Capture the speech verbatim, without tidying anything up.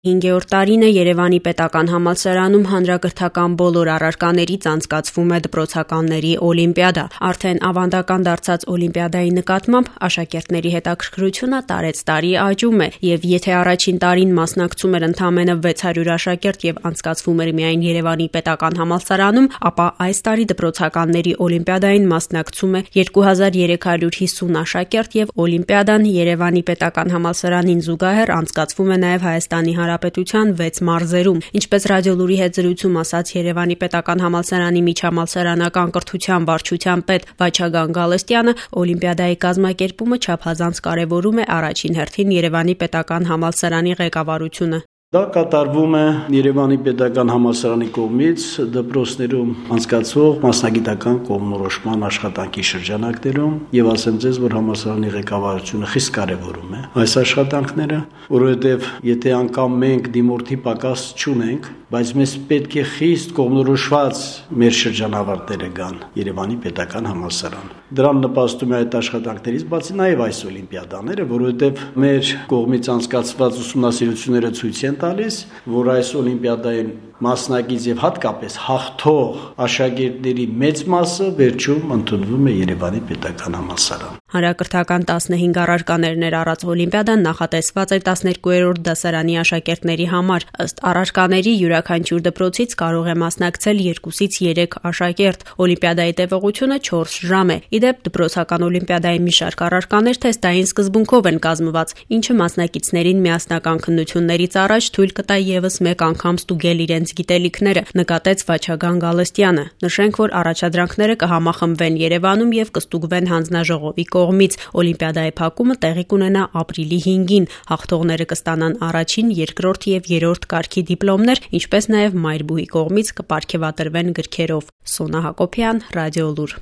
Հինգերորդ տարին է Երևանի պետական համալսարանում հանրակրթական բոլոր առարկաներից անցկացվում է դպրոցականների օլիմպիադա։ Արդեն ավանդական դարձած օլիմպիադայի նկատմամբ աշակերտների հետաքրքրությունը տարեցտարի աճում է, եւ եթե առաջին տարին մասնակցում էր ընդամենը վեց հարյուր աշակերտ եւ անցկացվում էր միայն Երևանի պետական համալսարանում, ապա այս տարի դպրոցականների օլիմպիադային մասնակցում է երկու հազար երեք հարյուր հիսուն աշակերտ եւ օլիմպիադան Երևանի պետական համալսարանին զուգահեռ անցկացվում է նաեւ Հայաստանի Հանրապետության վեց մարզերում։ Ինչպես Ռադիոլուրի հետ զրույցում ասաց Երևանի պետական համալսարանի միջհամալսարանական կրթության վարչության պետ Վաչագան Գալստյանը, օլիմպիադայի կազմակերպումը չափազանց կարևորում է առաջին հերթին Երևանի պետական համալսարանի ղեկավարությունը։ Դա կատարվում է Երևանի պետական համալսարանի կողմից դպրոցներում անցկացվող մասնագիտական կողմնորոշման աշխատանքի շրջանակներում, եւ ասեմ ձեզ, որ համալսարանի ղեկավարությունը խիստ կարևորում է այս աշխատանքները, որովհետեւ եթե անգամ մենք դիմորդի պակաս չունենք, բայց մեզ պետք է խիստ կողմնորոշված մեր շրջանավարտները գան Երևանի պետական համալսարան։ Դրան նպաստում է այդ աշխատանքներից բացի նաեւ այս օլիմպիադաները, որովհետեւ մեր կողմից անցկացված ուսումնասիրությունները ցույց են տալիս, որ այս օլիմպիադային մասնակից եւ հատկապես հաղթող աշակերտների մեծ մասը վերջում ընդունվում է Երևանի պետական համալսարան։ Հանրակրթական տասնհինգ առարկաներ ներառած օլիմպիադան նախատեսված էր տասներկուերորդ դասարանի աշակերտների համար։ Ըստ առարկաների յուրաքանչյուր դպրոցից կարող է մասնակցել երկուսից երեք աշակերտ։ Օլիմպիադայի տևողությունը չորս ժամ է։ Իդեպ դպրոցական օլիմպիադայի մի շարք առարկաներ թեստային սկզբունքով են կազմված, ինչը մասնակիցներին միասնական քննություններից առաջ թույլ կտա եւս մեկ անգամ ստուգել իրենց գիտելիքները, նկատեց Վաչագան Գալստյանը։ Նշենք, որ առաջադրանքները կհամախմբվեն Երևանում եւ կստուգվեն հանձնաժողովի կողմից։ Օլիմպիադայի փակումը տեղի կունենա ապրիլի հինգին։ Հաղթողները կստանան առաջին, երկրորդ եւ երրորդ կարգի դիպլոմներ, ինչպես նաեւ մայրբուհի կողմից կպարգեւատրվեն գրքերով։ Սոնա Հակոբյան, Ռադիոլուր։